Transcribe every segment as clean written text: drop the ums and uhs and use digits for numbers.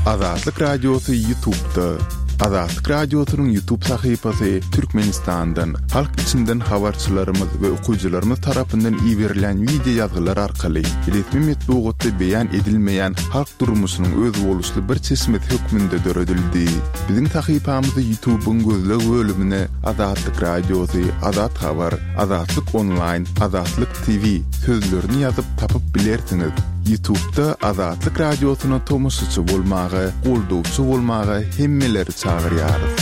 Azatlyk Radiosy Ýutubda. Azatlyk Radiosynyň Ýutub sahypasy Türkmenistandan, halk içinden habarçylarymyz we okyjylarymyz tarapyndan iberilýän wideo ýazgylar arkaly resmi metbugatda beýan edilmeýän halk durmuşynyň özboluşly bir çeşmesi hökmünde döredildi. Biziň sahypamyzy Ýutubyň gözleg bölümine Azatlyk Radiosy, Azat Habar, Azatlyk Onlaýn, Azatlyk TV sözlerini ýazyp tapyp bilersiňiz. Ýutubda Azatlyk Radiosyna tomaşaçy bolmaga, goldawçy bolmaga hemmeleri çagyrýarys.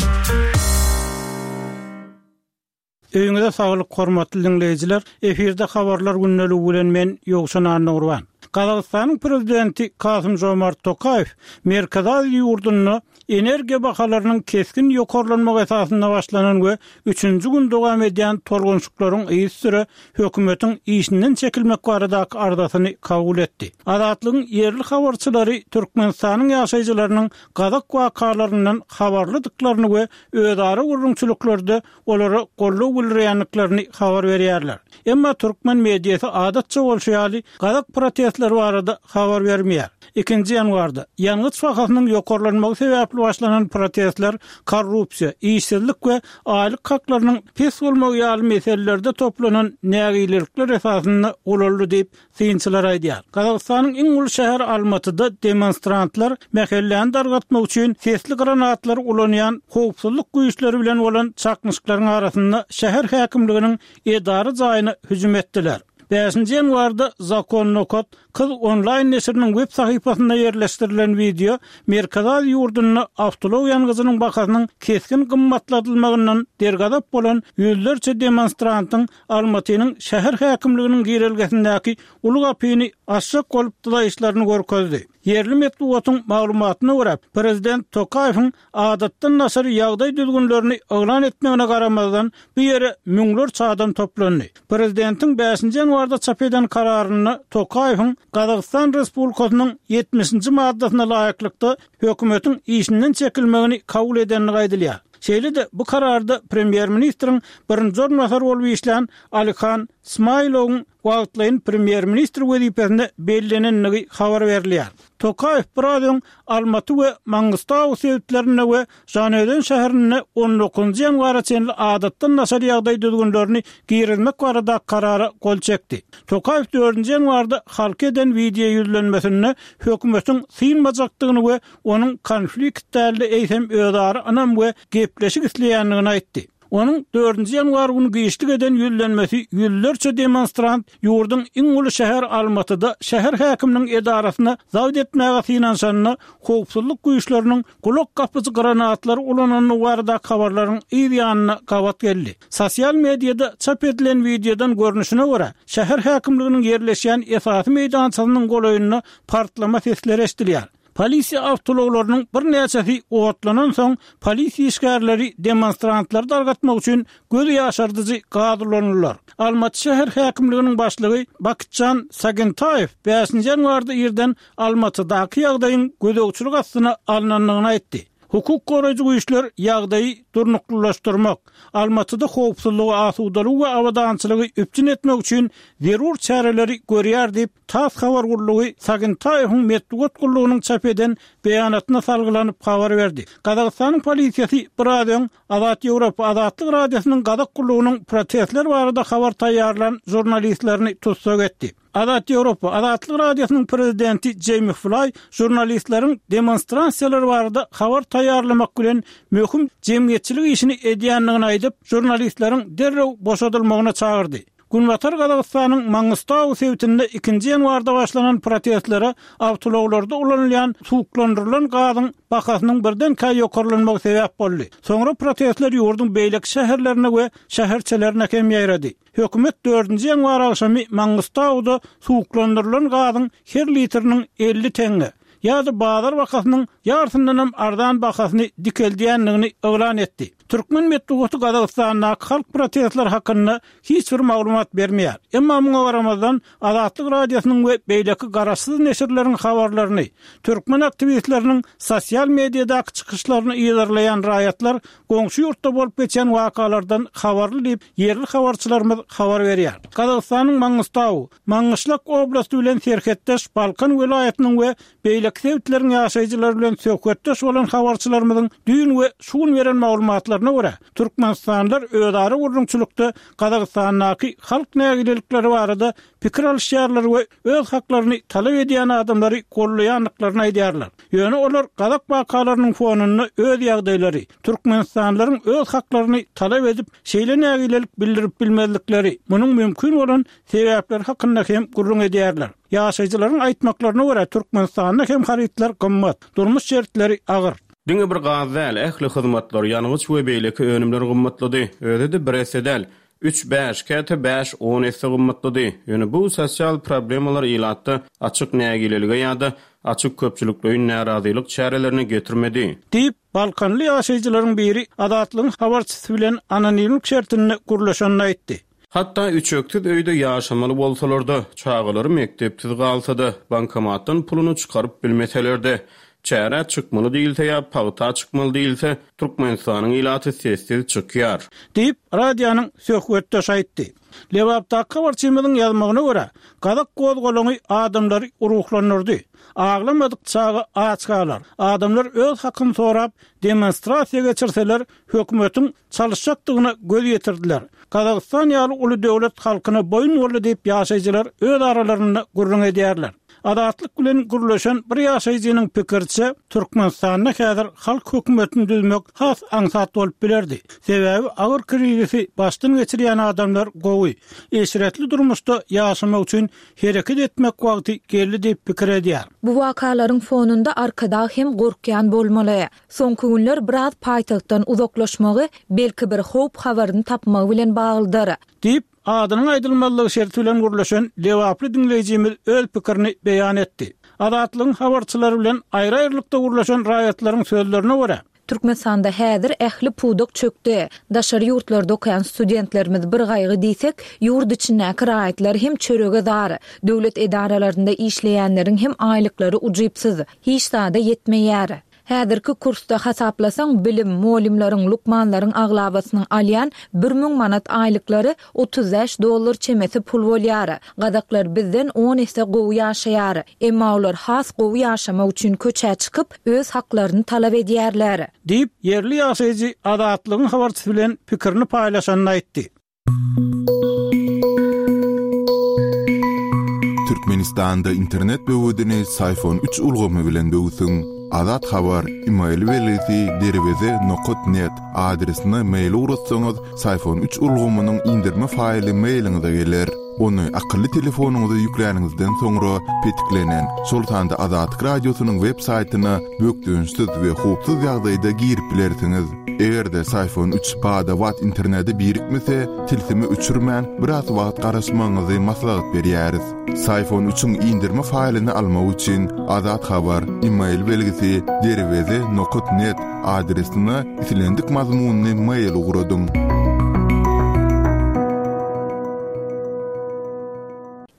Öýüňize saglyk hormatly diňleýjiler! Efirde habarlar gündeligi bilen men Ýowşan Annagurban. Gazagystanyň prezidenti Kasym-Žomart Tokaýew Merkezi Aziýa ýurdunda energiýa bahalarynyň kesgin ýokarlanmagy esasynda başlanan we üçünji gün dowam edýän tolgunşyklaryň yzysüre hökümetiň işinden çekilmek baradaky arzasyny kabul etdi. Azatlygyň ýerli habarçylary Türkmenistanyň ýaşaýjylarynyň gazak wakalaryndan habarlydyklaryny we özara gürrüňçiliklerde olara goldaw bildirýändiklerini habar berýärler. Emma türkmen mediasy adatça bolşy ýaly gazak protestleri barada habar bermeýär. Ikinji ýanwarda, ýangyç bahasynyň ýokarlanmagy sebäpli başlanan protestler korrupsiýa, işsizlik we aýlyk haklarynyň pes bolmagy ýaly meselelerde toplanan nägilelikler esasynda ulaldy diýip, Synçylar aýdýar. Gazagystanyň iň uly şäheri Almatyda demonstrantlar mähelläni dargatmak üçin sesli granatlary ulanýan howpsuzlyk güýçleri bilen bolan çaknyşyklaryň arasynda şäher häkimliginiň edara jaýyna hüjüm etdiler. Bäşinji ýanwarda Zakon nokat kyz onlaýn neşiriniň web sahypasynda ýerleşdirilen wideo Merkezi Aziýa ýurdunda awtoulag ýangyjynyň bahasynyň kesgin gymmatladylmagyndan dergazap bolan ýüzlerçe demonstrantyň Almatynyň şäher häkimliginiň girelgesindäki uly gapyny açjak bolup dyzaýyşlaryny görkezdi. Ýerli metbugatyň maglumatyna görä, prezident Tokaýewiň adatdan daşary ýagdaý düzgünlerini yglan etmegine garamazdan, bu ýere müňlerçe adam toplandy. Prezidentiň bäşinji ýanwarda çap eden kararynda Tokaýewiň Gazagystan Respublikasynyň ýetmişinji maddasyna laýyklykda hökümetiň işinden çekilmegini kabul edendigi aýdylýar. Şeýle-de bu kararda premýer-ministriň birinji orunbasary bolup işlän Alihan Smailowyň wagtlaýyn premýer-ministr wezipesine bellenendigi habar berilýär. Tokaýew biraz öň Almaty we Mangystau sebitlerinde we Žanaözen şäherinde on dokuzynjy ýanwara çenli adatdan daşary ýagdaý düzgünlerini girizmek baradaky karara gol çekdi. Tokaýew dördünji ýanwarda halka eden wideo ýüzlenmesinde hökümetiň synmajakdygyny we onuň konflikt däl-de, eýsem özara ynam we gepleşik isleýändigini aýtdy. Onuň dördünji ýanwar güni giçlik eden ýüzlenmesi ýüzlerçe demonstrant ýurduň iň uly şäheri Almatyda şäher häkiminiň edarasyna zabt etmäge synanyşanda howpsuzlyk güýçleriniň gulak gapyjy granatlary ulanandygy baradaky habarlaryň yz ýanyna gabat geldi. Sosial mediada çap edilen wideodan görnüşine görä, şäher häkimliginiň ýerleşýän esasy meýdançasynyň golaýynda partlama sesleri eşidilýär. Polisiýa awtoulaglarynyň birnäçesi otlanansoň, polisiýa işgärleri demonstrantlary dargatmak üçin göz ýaşardyjy gaz ulandylar. Almaty şäher häkimliginiň başlygy Bakitjan Sagintaýew bäşinji ýanwarda irden Almatydaky ýagdaýyň gözegçilik astyna alnandygyny aýtdy. Hukuk goraýjy güýçler ýagdaýy durnuklylaşdyrmak, Almatyda howpsuzlygy, asudalygy we abadançylygy üpjün etmek üçin zerur çäreleri görýär diýip, Tass habar gullugy Sagintaýewiň metbugat gullugynyň çap eden beýanatyna salgylanyp habar berdi. Gazagystanyň polisiýasy biraz öň Azat Ýewropa Azatlyk Radiosynyň gazak gullugynyň protestler barada habar taýýarlan žurnalistlerini tussag etdi. Azat Ýewropa Azatlyk Radiosynyň prezidenti Jeými Flaý žurnalistleriň demonstrasiýalar barada habar taýýarlamak bilen möhüm jemgyýetçilik işini edýändigini aýdyp, žurnalistleriň derrew boşadylmagyna çagyrdy. Günbatar Gazagystanyň Mangystau sebitinde ikinji ýanwarda başlanan protestlere awtoulaglarda ulanylýan suwuklandyrylan gazyň bahasynyň birdenkä ýokarlanmagy sebäp boldy. Soňra protestler ýurduň beýleki şäherlerine we şäherçelerine hem ýaýrady. Hökümet dördünji ýanwar agşamy Mangystauda suwuklandyrylan gazyň her litriniň 50 teňňe, ýa-da bazar bahasynyň ýarsyndanam arzan bahasyny dikeldýändigini yglan etdi. Türkmen metbugaty Gazagystandaky halk protestleri hakynda hiç bir maglumat bermeýär. Emma muňa garamazdan, Azatlyk Radiosynyň we beýleki garaşsyz neşirleriň habarlaryny, türkmen aktiwistleriniň sosial mediadaky çykyşlaryny yzarlaýan raýatlar goňşy ýurtda bolup geçýän wakalardan habarly diýip, ýerli habarçylarymyz habar berýär. Gazagystanyň Mangystau, Maňgyşlak oblasty bilen serhetdeş Balkan welaýatynyň we beýleki. beýleki sebitleriň ýaşaýjylary bilen söhbetdeş bolan habarçylarymyzyň düýn we şu gün beren maglumatlaryna görä, türkmenistanlylar özara gürrüňçilikde Gazagystandaky halk nägilelikleri barada pikir alyşýarlar we öz haklaryny talap edýän adamlary goldaýandyklaryny aýdýarlar. Ýöne olar gazak wakalarynyň fonunda öz ýagdaýlary, türkmenistanlylaryň öz haklaryny talap edip, şeýle nägilelik bildirip bilmezlikleri, munuň mümkin bolan sebäpleri hakynda hem gürrüň edýärler. Ýaşaýjylaryň aýtmaklaryna görä, Türkmenistanda hem harytlar gymmat, durmuş şertleri agyr. Diňe bir gaz däl, ähli hyzmatlar, ýangyç we beýleki önümler gymmatlady. Özi-de bir esse däl. Üç, bäş, käte bäş, on esse gymmatlady. Ýöne bu sosial problemalar ilatda açyk nägilelige ýa-da açyk köpçülikleýin närazylyk çärelerine getirmedi. Diýip, balkanly ýaşaýjylaryň biri Azatlygyň habarçysy bilen anonimlik şertinde gürleşenini aýtdy. Hatda üçeksiz öýde ýaşamaly bolsalar-da, çagalary mekdepsiz galsa-da, bankomatdan puluny çykaryp bilmeseler-de, çärä çykmaly diýilse ýa pagta çykmaly diýilse, Türkmenistanyň ilaty sessiz çykýar. Diýip, radionyň söhbetdeşi aýtdy. Lebapdaky habarçymyzyň ýazmagyna görä, gazak gozgalaňy adamlary ruhlandyrdy. Aglamadyk çaga aç galar. Adamlar öz hakyny sorap, demonstrasiýa geçirseler, hökümetiň çalyşjakdygyna göz ýetirdiler. Gazagystan ýaly uly döwlet halkyna boýun boldy diýip ýaşaýjylar öz aralarynda gürrüň edýärler. Azatlyk bilen gürleşen bir ýaşaýjynyň pikiriçe, Türkmenistanda häzir halk hökümetini düzmek has aňsat bolup bilerdi. Sebäbi agyr krizisi başdan geçirýän adamlar gowy, eşretli durmuşda ýaşamak üçin hereket etmek wagty geldi diýip pikir edýär. Bu wakalaryň fonunda Arkadag hem gorkýan bolmaly. Soňky günler biraz paýtagtdan uzaklaşmagy, belki bir howp habaryny tapmagy bilen baglydyr. Diýip, adynyň aýdylmazlygy şerti bilen gürleşen lebaply diňleýjimiz öz pikirini beýan etdi. Azatlygyň habarçylary bilen aýry-aýrylykda gürleşen raýatlaryň sözlerine görä, Türkmenistanda häzir ähli pudak çökdi. Daşary ýurtlarda okaýan studentlerimiz bir gaýgy diýsek, ýurt içindäki raýatlar hem çörege zar. Döwlet edaralarynda işleýänleriň hem aýlyklary ujypsyz. Hiç zada ýetmeýär. Häzirki kursda hasaplasaň, bilim, mugallymlaryň, lukmanlaryň aglabasynyň alýan 1000 manat aýlyklary 35 dollar çemesi pul bolýar. Gazaklar bizden on esse gowy ýaşaýar. Emma olar has gowy ýaşamak üçin köçä çykyp, öz haklaryny talap edýärler. Diýip, ýerli ýaşaýjy Azatlygyň habarçysy bilen pikirini paýlaşanda aýtdy. Türkmenistanda internet böwedini Syfon üç ulgamy bilen böwsüň. Azat Habar, email belgisi derweze nokat net adresine mail ugratsaňyz, Syfon üç ulgamynyň indirme faýly mailiňize geler. Ony akylly telefonyňyza ýükläniňizden soňra petiklenen, şol sanda Azatlyk Radiosynyň web saýtyna bökdençsiz we howpsuz ýagdaýda girip bilersiňiz. Eger-de Syfon üç bada-bat internete birikmese, tilsimi öçürmän, biraz wagt garaşmagyňyzy maslahat berýäris. Syfon üçiň indirme faýlyny almak üçin Azat Habar, email belgisi, derweze nokat net adresine islendik mazmunly mail ugradyň.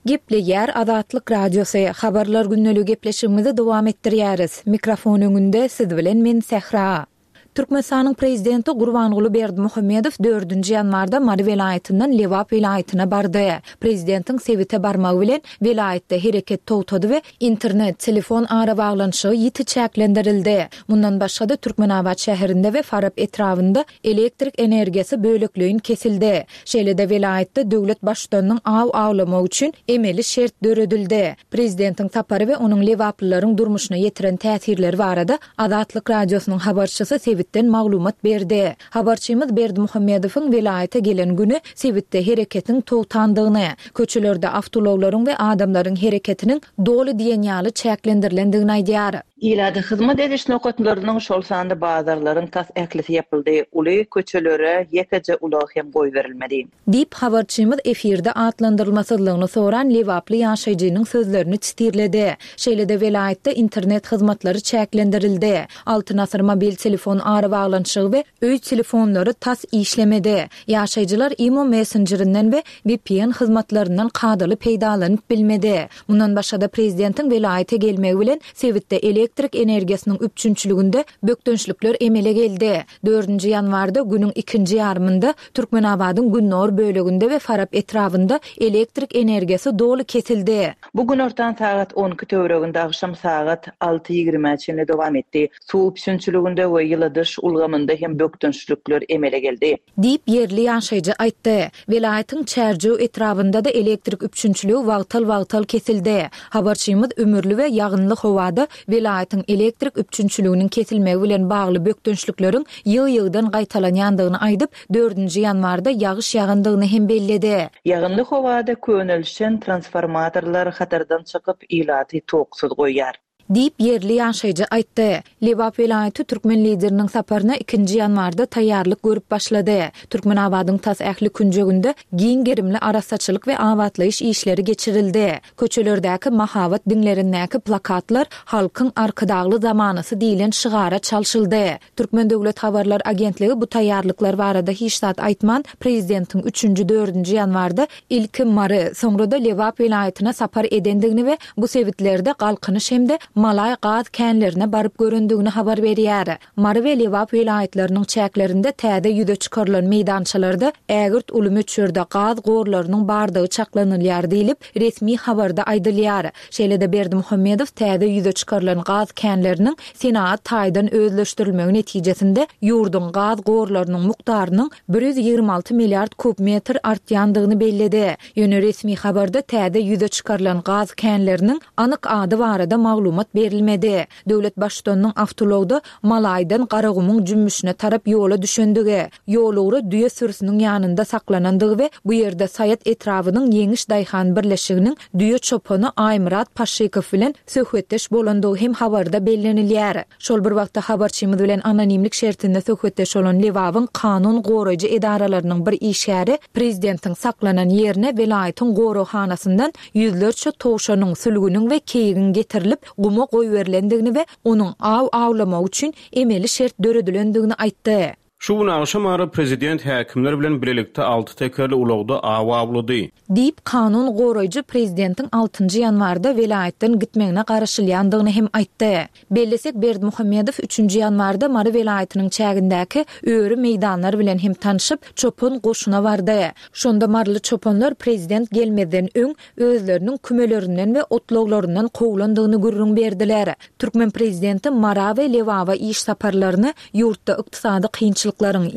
Gepleýär Azatlyk Radiosy, Habarlar gündeligi gepleşigimizi dowam etdirýäris. Mikrofon öňünde siz bilen men Sähra. Türkmenistanyň Prezidenti Gurbanguly Berdimuhamedow dördünji ýanwarda Mary welaýatyndan Lebap welaýatyna bardy. Prezidentiň sebite barmagy bilen, welaýatda hereket togtady we internet, telefon arabaglanyşygy ýiti çäklendirildi. Mundan başga-da, Türkmenabat şäherinde we Farap etrabynda elektrik energiýasy bölekleýin kesildi. Şeýle-de, welaýatda döwlet Baştutanynyň aw awlamagy üçin emeli şert döredildi. Prezidentiň sapary we onuň lebaplylaryň durmuşyna ýetiren täsirleri barada Azatlyk Radiosynyň habarçysy sebitden maglumat berdi. Habarçymyz Berdimuhamedowyň welaýata gelen güni sebitde hereketiň togtandygyny, köçelerde awtoulaglaryň we adamlaryň hereketiniň doly diýen ýaly çäklendirilendigini aýdýar. Ilata hyzmat ediş nokatlarynyň, şol sanda bazarlaryň tas ählisi ýapyldy, uly köçelere ýekeje ulag hem goýberilmedi. Diýip, habarçymyz efirde atlandyrylmasyzlygyny soran lebaply ýaşaýjynyň sözlerini çitirledi. Şeýle-de welaýatda internet hyzmatlary çäklendirildi. Altyn asyr mobil telefon arabaglanyşygy we öý telefonlary tas işlemedi. Ýaşaýjylar imo messenjerinden we vpn hyzmatlaryndan kadaly peýdalanyp bilmedi. Mundan başga-da, prezidentiň welaýata gelmegi bilen sebitde elektrik. elektrik energiýasynyň üpjünçiliginde bökdençlikler emele geldi. Dördünji ýanwarda günüň ikinji ýarymynda Türkmenabadyň gündogar böleginde we Farap etrabynda elektrik energiýasy doly kesildi. Bu günortan sagat 12 töwereginde agşam sagat alty ýigrimä çenli dowam etdi. Suw üpjünçiliginde we ýyladyş ulgamynda hem bökdençlikler emele geldi. Diýip, ýerli ýaşaýjy aýtdy. Welaýatyň Çärjew etrabynda-da elektrik üpjünçiligi wagtal-wagtal kesildi. Habarçymyz ümürli we ýagynly howada welaýatyň elektrik üpjünçiliginiň kesilmegi bilen bagly bökdençlikleriň ýygy-ýygydan gaýtalanýandygyny aýdyp, dördünji ýanwarda ýagyş ýagandygyny hem belledi. Ýagynly howada könelişen transformatorlar hatardan çykyp, ilaty toksuz goýýar. Diýip, ýerli ýaşaýjy aýtdy. Lebap welaýaty türkmen Lideriniň saparyna ikinji ýanwarda taýýarlyk görüp başlady. Türkmenabadyň tas ähli künjeginde giň gerimli arassaçylyk we abatlaýyş işleri geçirildi. Köçelerdäki mahabat diňlerindäki plakatlar Halkyň Arkadagly zamanasy diýlen şygara çalşyldy. Türkmen döwlet habarlar agentligi bu taýýarlyklar barada hiç zat aýtman, prezidentiň üçünji, dördünji ýanwarda ilki Mary, soňra-da Lebap welaýatyna sapar edendigini we bu sebitlerde Galkynyş hem-de Malaý gaz känlerine baryp görendigini habar berýär. Mary we Lebap welaýatlarynyň çäklerinde täze ýüze çykarylan meýdançalarda ägirt uly möçberde gaz gorlarynyň bardygy çaklanylýar diýlip, resmi habarda aýdylýar. Şeýle-de Berdimuhamedow täze ýüze çykarylan gaz känleriniň senagat taýdan özleşdirilmegi netijesinde ýurduň gaz gorlarynyň mukdarynyň 126 milliard kub metr artýandygyny belledi. Ýöne resmi habarda täze ýüze çykarylan gaz känleriniň anyk ady barada maglumat berilmedi. Döwlet Baştutanynyň awtoulagda Malaýdan Garagumuň jümmüşine tarap ýola düşendigi, ýolugra düýe sürüsiniň ýanynda saklanandygy we bu ýerde Saýat etrabynyň Ýeňiş daýhan birleşiginiň düýe çopany Aýmyrat Paşşykow bilen söhbetdeş bolandygy hem habarda bellenilýär. Şol bir wagtda habarçymyz bilen anonimlik şertinde söhbetdeş bolan Lebabyň kanun goraýjy edaralarynyň bir işgäri prezidentiň saklanan ýerine welaýatyň goraghanasyndan ýüzlerçe towşanyň, sülgüniň we keýigiň getirilip, guma goýberilendigini we onuň aw awlamagy üçin emeli şert döredilendigini aýtdy. Şu gün agşam ara prezident häkimler bilen bilelikde alty tekerli ulagda aw awlady. Diýip, kanun goraýjy prezidentiň altynjy ýanwarda welaýatdan gitmegine garaşylýandygyny hem aýtdy. Bellesek, Berdimuhamedow üçünji ýanwarda Mary welaýatynyň çägindäki öri meýdanlar bilen hem tanşyp, çopan goşuna bardy. Şonda maryly çopanlar prezident gelmezden öň özleriniň kümelerinden we otlaglaryndan kowlandygyny gürrüň berdiler. Türkmen prezidenti Mara we Lebaba iş saparlaryny ýurtda ykdysady kynçylyklaryň,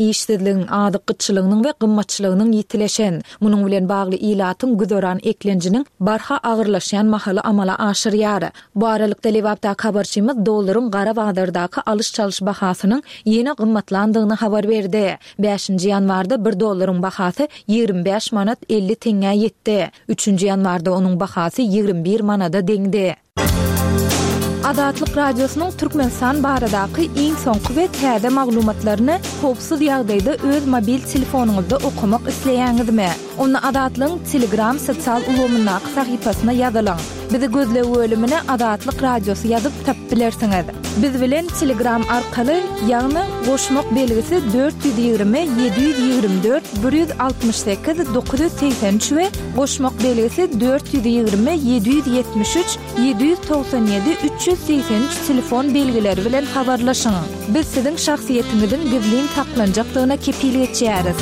işsizligiň, azyk gytçylygynyň we gymmatçylygynyň ýitileşen, munuň bilen bagly ilatyň güzeran eklenjiniň barha agyrlaşýan mahaly amala aşyrýar. Bu aralykda, Lebapdaky habarçymyz dollaryň gara bazardaky alyş-çalyş bahasynyň ýene gymmatlandygyny habar berdi. Bäşinji ýanwarda bir dollaryň bahasy 25 manat 50 teňňä ýetdi. Üçünji ýanwarda onuň bahasy 21 manada deňdi. Azatlyk Radiosynyň Türkmenistan baradaky iň soňky we täze maglumatlaryny howpsuz ýagdaýda öz mobil telefonyňyzda okamak isleýäňizmi? Onda Azatlygyň Telegram sosial ulgamyndaky sahypasyna ýazylyň. Bizi gözleg bölümine Azatlyk Radiosy ýazyp tapyp bilersiňiz. Biz bilen Telegram arkaly, ýagny goşmak belgisi 420 724 168 983 we goşmak belgisi 420 773 797 383 telefon belgileri bilen habarlaşyň. Biz siziň şahsyýetiňiziň gizlin saklanjakdygyna kepil geçýäris.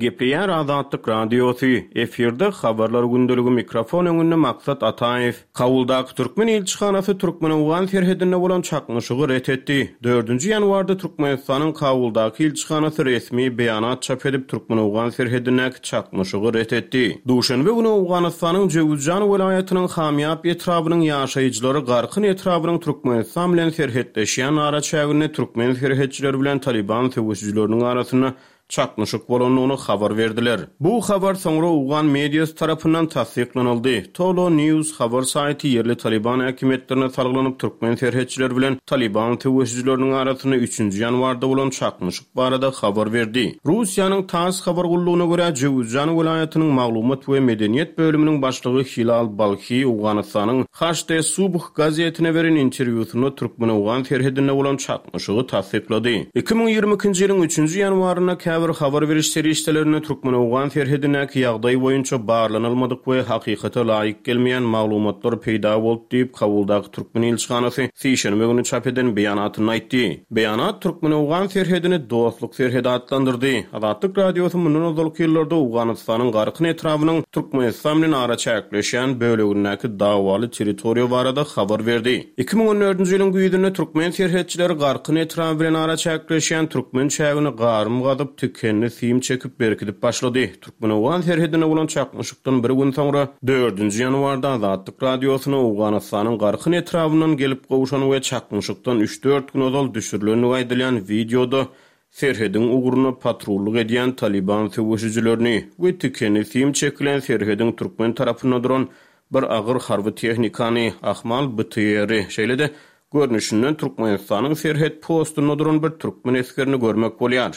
Gepleýär Azatlyk Radiosy, efirde Habarlar gündeligi mikrofon öňünde Maksat Ataýew. Kabuldaky türkmen ilçihanasy türkmen-owgan serhedinde bolan çaknyşygy ret etdi. Dördünji ýanwarda Türkmenistanyň Kabuldaky ilçihanasy resmi beýanat çap edip, türkmen-owgan serhedindäki çaknyşygy ret etdi. Duşenbe güni Owganystanyň Jöwüzjan welaýatynyň Hamýap etrabynyň ýaşaýjylary Garkyn etrabynyň Türkmenistan bilen serhetleşýän araçäginde türkmen serhetçileri bilen Talyban söweşijileriniň arasynda çaknyşyk bolandygyny habar berdiler. Bu habar soňra owgan mediasy tarapyndan tassyklanyldy. Tolo News habar saýty ýerli Talyban häkimiýetlerine salgylanyp, türkmen serhetçileri bilen Talyban söweşijileriniň arasynda üçünji ýanwarda bolan çaknyşyk barada habar berdi. Russiýanyň TASS habar gullugyna görä, Jöwüzjan welaýatynyň maglumat we medeniýet bölüminiň başlygy Hilal Balhi Owganystanyň HD Subh gazetine beren interwýusynda türkmen-owgan serhedinde bolan çaknyşygy tassyklady. 2022-nji ýylyň üçünji ýanwarynda käbir. käbir habar beriş serişdelerinde türkmen-owgan serhedindäki ýagdaý boýunça barlanylmadyk we hakykata laýyk gelmeýän maglumatlar peýda boldy diýip, Kabuldaky türkmen ilçihanasy sişenbe güni çap eden beýanatynda aýtdy. Beýanat türkmen-owgan serhedini dostluk serhedi atlandyrdy. Azatlyk Radiosy mundan ozalky ýyllarda Owganystanyň Garkyn etrabynyň Türkmenistan bilen araçäkleşýän bölegindäki dawaly territoriýa barada habar berdi. 2014-nji ýylyň güýzünde türkmen serhetçileri Garkyn etraby bilen araçäkleşýän türkmen çägini garym gazyp, tikenli sim çekip berkidip başlady. Türkmen-owgan serhedinde bolan çaknyşykdan bir gün soňra, dördünji ýanwarda Azatlyk Radiosyna Owganystanyň Garkyn etrabyndan gelip gowşan we çaknyşykdan üç-dört gün ozal düşürilendigi aýdylýan wideoda serhediň ugrunda patrullyk edýän Talyban söweşijilerini we tikenli sim çekilen serhediň türkmen tarapynda duran bir agyr harby tehnikany, ahmal BTR-i, şeýle-de, görnüşinden Türkmenistanyň serhet postunda duran bir türkmen esgerini görmek bolýar.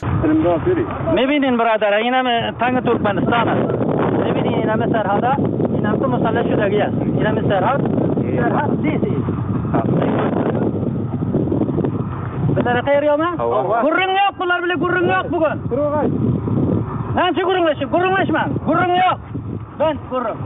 Mebinin biradara ineme taňy Türkmenistan as. Mebinin ineme serhada inamtu musalle şudagi as. Ineme serhat serhat disi. Bizlere haýyr ýokmy? Gürrüň ýok bular bile gürrüň ýok bu gün. Näçe gürrüňleşip gürrüňleşmäň. Gürrüň ýok. Bent gürrüň.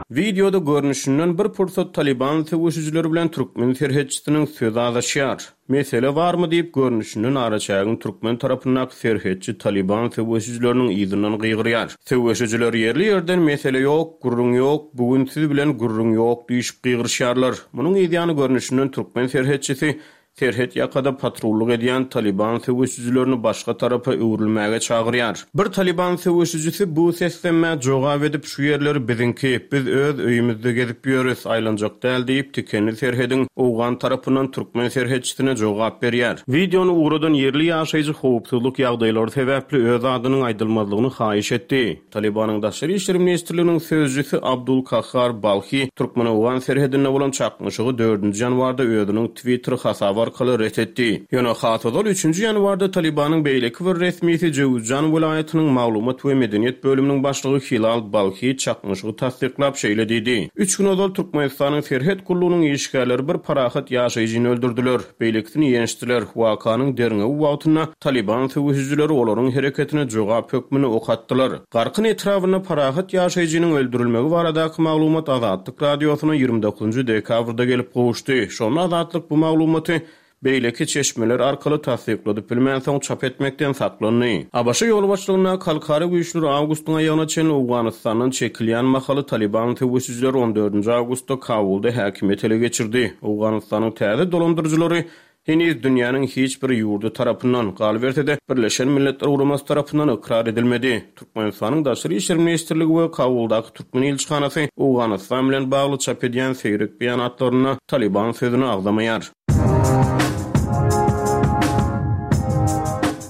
Wideoda görnüşinden bir pursat Talyban söweşijileri bilen türkmen serhetçisiniň sözi azaşýar. Mesele barmy diýip, görnüşinden araçägiň türkmen tarapyndaky serhetçi Talyban söweşijileriniň yzyndan gygyrýar. Söweşijiler ýerli-ýerden mesele ýok, gürrüň ýok, bu gün siz bilen gürrüň ýok diýşip gygyryşýarlar. Munuň yzýany görnüşinden türkmen serhetçisi Serhet ýakada patrullyk edýän Talyban söweşijilerini başga tarapa öwrülmäge çagyrýar. Bir Talyban söweşijisi bu seslenmä jogap edip, şu ýerler biziňki, biz öz öýümizde gezip ýörüs, aýlanjak däl diýip, tikenli serhediň owgan tarapyndan türkmen serhetçisine jogap berýär. Wideony ugradan ýerli ýaşaýjy howpsuzlyk ýagdaýlary sebäpli öz adynyň aýdylmazlygyny haýyş etdi. Talybanyň Daşary işler ministrliginiň sözcüsi Abdul Kahhar Balhi türkmen-owgan serhedinde bolan çaknyşygy dördünji ýanwarda özüniň Twitter hasaby arkaly ret etdi. Ýöne has ozal üçünji ýanwarda Talybanyň beýleki bir resmisi Jöwüzjan welaýatynyň maglumat we medeniýet bölüminiň başlygy Hilal Balhi çaknyşygy tassyklap şeýle diýdi, Üç gün ozal Türkmenistanyň serhet gullugynyň işgärleri bir parahat ýaşaýjyny öldürdiler. Beýlekisini ýençdiler. Wakanyň derňewi wagtynda Talyban söweşijileri olaryň hereketine jogap hökmünde ok atdylar. Garkyn etrabynda parahat ýaşaýjynyň öldürilmegi baradaky maglumat Azatlyk Radiosyna 29 dekabrda gelip gowuşdy. Şonda Azatlyk bu maglumaty beýleki çeşmeler arkaly tassykladyp bilmänsoň çap etmekden saklandy. ABŞ ýolbaşçylygyndaky halkara güýçler awgustyň aýagyna çenli Owganystandan çekilýän mahaly Talyban söweşijileri on dördünji awgustda Kabulda häkimiýeti ele geçirdi. Owganystanyň täze dolandyryjylary heniz dünýäniň hiç bir ýurdy tarapyndan, galyberse-de, Birleşen Milletler Guramasy tarapyndan ykrar edilmedi. Türkmenistanyň Daşary işler ministrligi we Kabuldaky türkmen ilçihanasy Owganystan bilen bagly çap edýän seýrek beýanatlarynda Talyban sözüni agzamaýar.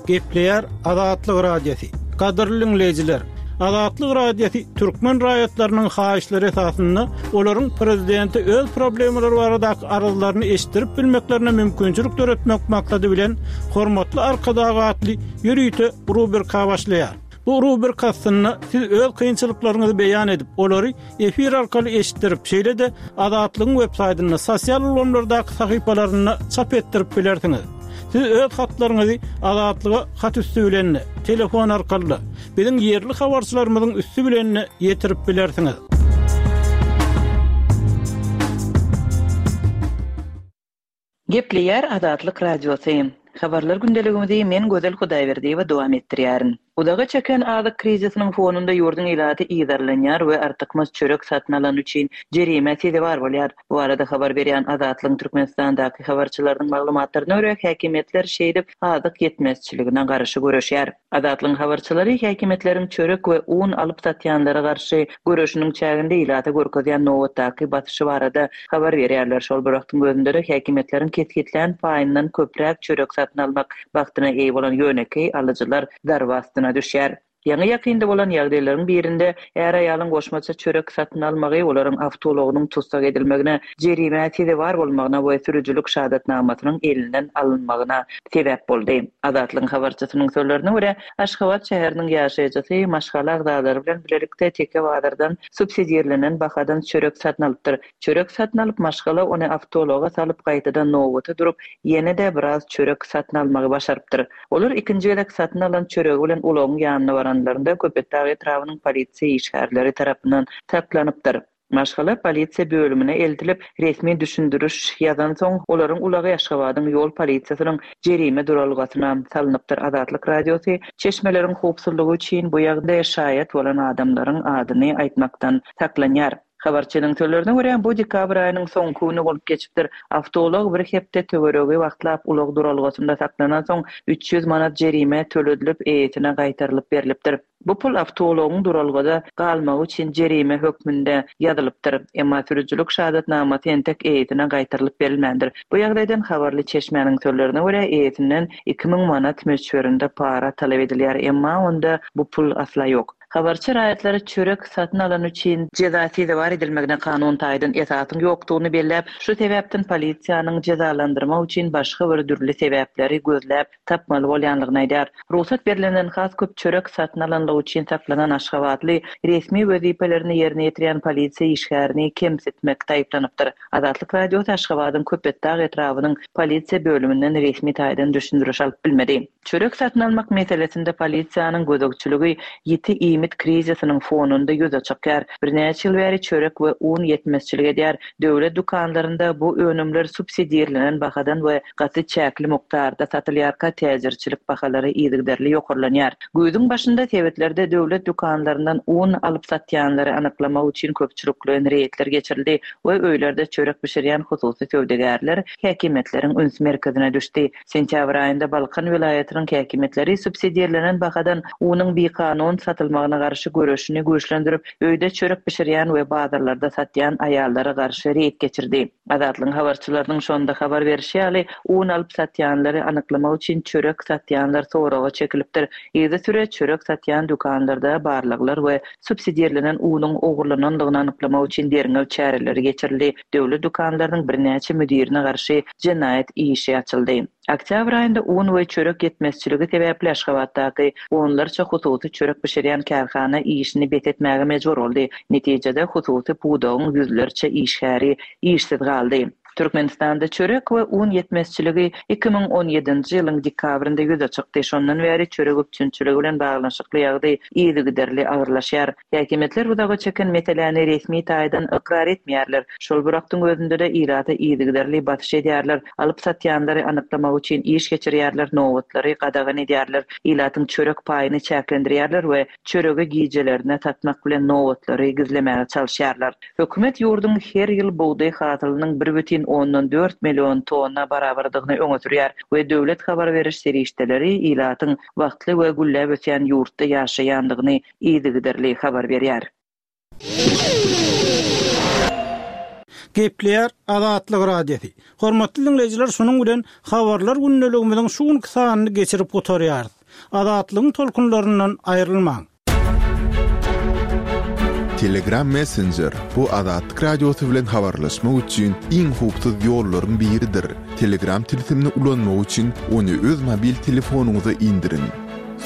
Gepleýär Azatlyk Radiosy. Gadyrly diňleýjiler, Azatlyk Radiosy türkmen raýatlarynyň haýyşlary esasynda olaryň prezidente öz problemalary baradaky arzlaryny eşitdirip bilmeklerine mümkinçilik döretmek maksady bilen Hormatly Arkadag atly ýörite rubrika başlaýar. Bu rubrika astynda siz öz kynçylyklaryňyzy beýan edip, olary efir arkaly eşitdirip, şeýle-de Azatlygyň websaýtynda, sosial ulgamlardaky sahypalarynda çap etdirip bilersiňiz. Siz öz hatlaryňyzy Azatlyga hat üsti bilen-de, telefon arkaly-da, biziň ýerli habarçylarymyzyň üsti bilen-de ýetirip bilersiňiz. Gepleýär Azatlyk Radiosy. Habarlar gündeligimizi men Gözel Hudaýberdiýewa dowam etdirýärin. Uzaga çeken azyk krizisiniň fonunda ýurduň ilaty yzarlanýar we artykmaç çörek satyn alany üçin jerimä sezewar bolýar. Bu barada habar berýän Azatlygyň Türkmenistandaky habarçylarynyň maglumatlaryna görä, häkimiýetler şeýdip azyk ýetmezçiligine garşy göreşýär. Azatlygyň habarçylary häkimiýetleriň çörek we un alyp satýanlara garşy göreşiniň çäginde ilata görkezýän nobatdaky basyşy barada habar berýärler. Şol bir wagtyň özünde-de häkimiýetleriň kesgitlän paýyndan köpräk çörek satyn almak bagtyna eýe bolan ýönekeý alyjylar zarba astyna düşýär. Ýaňy-ýakynda bolan ýagdaýlaryň birinde är-aýalyň goşmaça çörek satyn almagy olaryň awtoulagynyň tussag edilmegine, jerimä sezewar bolmagyna we sürüjilik şahadatnamasynyň elinden alynmagyna sebäp boldy. Azatlygyň habarçysynyň sözlerine görä, Aşgabat şäheriniň ýaşaýjysy maşgala agzalary bilen bilelikde Teke bazardan subsidirlenen bahadan çörek satyn alypdyr. Çörek satyn alyp, maşgala ony awtoulaga salyp, gaýtadan nobata durup, ýene-de biraz çörek satyn almagy başarypdyr. Olar ikinji gezek satyn alan çöregi bilen ulagyň ýanyna baranlarynda Köpetdag etrabynyň polisiýa işgärleri tarapyndan saklanypdyr. Maşgala polisiýa bölümine eltilip, resmi düşündiriş ýazansoň, olaryň ulagy Aşgabadyň ýol polisiýasynyň jerime duralgasyna salnypdyr. Azatlyk Radiosy çeşmeleriň howpsuzlygy üçin bu ýagdaýa şaýat bolan adamlaryň adyny aýtmakdan saklanýar. Habarçynyň sözlerine görä, bu dekabr aýynyň soňky güni bolup geçipdir. Awtoulag bir hepde töweregi wagtlap ulag duralgasynda saklanansoň, 300 manat jerime töledilip, eýesine gaýtarylyp berlipdir. Bu pul awtoulagyň duralgada galmagy üçin jerime hökmünde ýazylypdyr. Emma sürüjilik şahadatnamasy entek eýesine gaýtarylyp berilmändir. Bu ýagdaýdan habarly çeşmäniň sözlerine görä, eýesinden 2000 manat möçberinde para talap edilýär, emma onda bu pul asla ýok. Habarçy raýatlara çörek satyn alany üçin jeza sezewar edilmegine kanun taýdan esasyň ýokdugyny belläp, şu sebäpden polisiýanyň jezalandyrmak üçin başga bir dürli sebäpleri gözläp tapmaly bolýanlygyny aýdýar. Rugsat berlenden has köp çörek satyn alanlygy üçin saklanan aşgabatly resmi wezipelerini ýerine ýetirýän polisiýa işgärini kemsitmekde aýyplanypdyr. Azatlyk Radiosy Aşgabadyň Köpetdag etrabynyň polisiýa bölüminden resmi taýdan düşündiriş alyp bilmedi. Çörek satyn almak meselesinde polisiýanyň gözegçiligi ýiti iýmit krizisiniň fonunda ýüze çykýar. Birnäçe ýyl bäri çörek we un ýetmezçilik edýär. Döwlet dükanlarynda bu önümler subsidirlenen bahadan we gaty çäkli mukdarda satylýarka, täjirçilik bahalary yzygiderli ýokarlanýar. Güýzüň başynda sebitlerde döwlet dükanlaryndan un alyp satýanlary anyklamak üçin köpçülikleýin reýdler geçirildi we öýlerde çörek bişirýän hususy söwdagärler häkimiýetleriň üns merkezine düşdi. Sentýabr aýynda Balkan welaýatynyň häkimiýetleri subsidirlenen bahadan unuň bikanun satylmagyna garşy göreşini güýçlendirip, öýde çörek bişirýän we bazarlarda satýan aýallara garşy reýd geçirdi. Azatlygyň habarçylarynyň şonda habar berşi ýaly, un alyp satýanlary anyklamak üçin çörek satýanlar soraga çekilipdir. Yzysüre çörek satýan dükanlarda barlaglar we subsidirlenen unuň ogurlanandygyny anyklamak üçin derňew çäreleri geçirildi. Döwlet dükanlarynyň birnäçe müdirine garşy jenaýat işi açyldy. Oktýabr aýynda un we çörek ýetmezçiligi sebäpli Aşgabatdaky onlarça hususy çörek bişirýän kärhana işini bes etmäge mejbur boldy. Netijede, hususy pudagyň ýüzlerçe işgäri işsiz galdy. Türkmenistanda çörek we un ýetmezçiligi 2017-nji ýylyň dekabrynda ýüze çykdy. Şondan bäri çörek üpjünçiligi bilen baglanyşykly ýagdaý yzygiderli agyrlaşýar. Häkimiýetler uzaga çeken meseläni resmi taýdan ykrar etmeýärler. Şol bir wagtyň özünde-de ilata yzygiderli basyş edýärler, alyp-satýanlary anyklamak üçin iş geçirýärler, nobatlary gadagan edýärler, ilatyň çörek paýyny çäklendirýärler we çöregi gijelerine satmak bilen nobatlary gizlemäge çalyşýarlar. Hökümet ýurduň her ýyl bugdaý hasylynyň bir bütin ondan dört million tonna barabardygyny öňe sürýär we döwlet habar beriş serişdeleri ilatyň bagtly we gülläp ösýän ýurtda ýaşaýandygyny yzygiderli habar berýär. Gepleýär Azatlyk Radiosy. Hormatly diňleýjiler şunuň bilen Habarlar gündeligimiziň şu günki sanyny geçirip gutarýarys. Azatlygyň tolkunlaryndan aýrylmaň. Telegram Messenger, bu Azatlyk Radiosy bilen habarlaşmak üçin iň howpsuz ýollaryň biridir. Telegram tilsimini ulanmak üçin ony öz mobil telefonyňyza indiriň.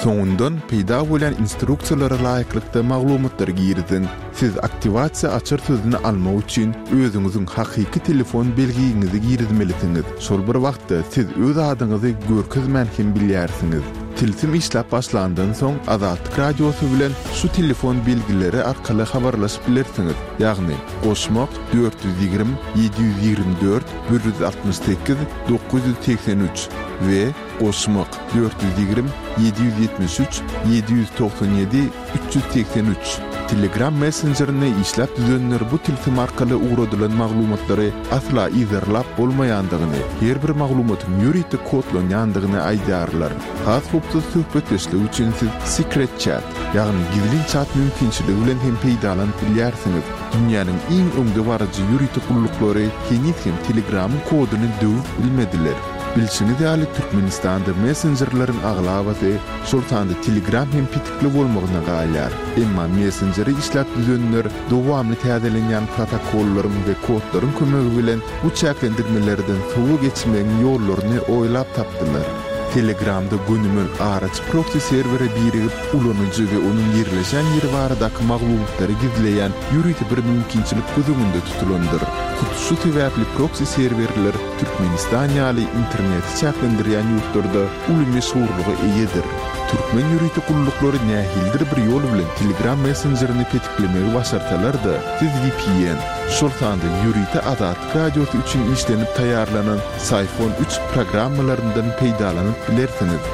Soňundan peýda bolýan instruksiýalara laýyklykda maglumatlary giriziň. Siz aktiwasiýa açar sözüni almak üçin özüňiziň hakyky telefon belgiňizi girizmelisiňiz. Şol bir wagtda siz öz adyňyzy görkezmän hem bilýärsiňiz. Tilsim işläp başlandan soň Azatlyk Radiosy bilen şu telefon belgileri arkaly habarlaşyp bilersiňiz, ýagny, goşmak, 420 724 168 983 we Goşmak, 420 773 797 383. Telegram messenjerini işläp düzenler bu tilsim arkaly ugradylan maglumatlary asla yzarlap bolmaýandygyny, her bir maglumatyň ýörite kodlanýandygyny aýdýarlar. Has howpsuz söhbetdeşlik üçin siz Secret Chat, ýagny gizlin çat mümkinçiligi bilen hem peýdalanyp bilýärsiňiz. Dünýäniň iň öňdebaryjy ýörite gulluklary heniz hem Telegramyň koduny döwüp bilmediler. Bilşiňiz ýaly, Türkmenistanda messenjerleriň aglabasy, şol sanda Telegram hem petikli bolmagyna galýar. Emma messenjeri işläp düzenler dowamly täzelenýän protokollaryň we kodlaryň kömegi bilen bu çäklendirmelerden sowa geçmegiň ýollaryny oýlap tapdylar. Telegramda gönümel araçy proksi serwere birigip, ulanyjy we onuň ýerleşen ýeri baradaky maglumatlary gizleýän ýörite bir mümkinçilik göz öňünde tutulandyr. Hut şu sebäpli proksi serwerler Türkmenistan ýaly interneti çäklendirýän ýurtlarda uly meşhurlyga eýedir. Türkmen ýörite gulluklary nähilidir bir ýol bilen Telegram messenjerini petiklemegi başarsalar-da, siz vpn, şol sanda ýörite Azatlyk Radiosy üçin işlenip taýýarlanan Syphon üç programmalaryndan peýdalanyp bilersiňiz.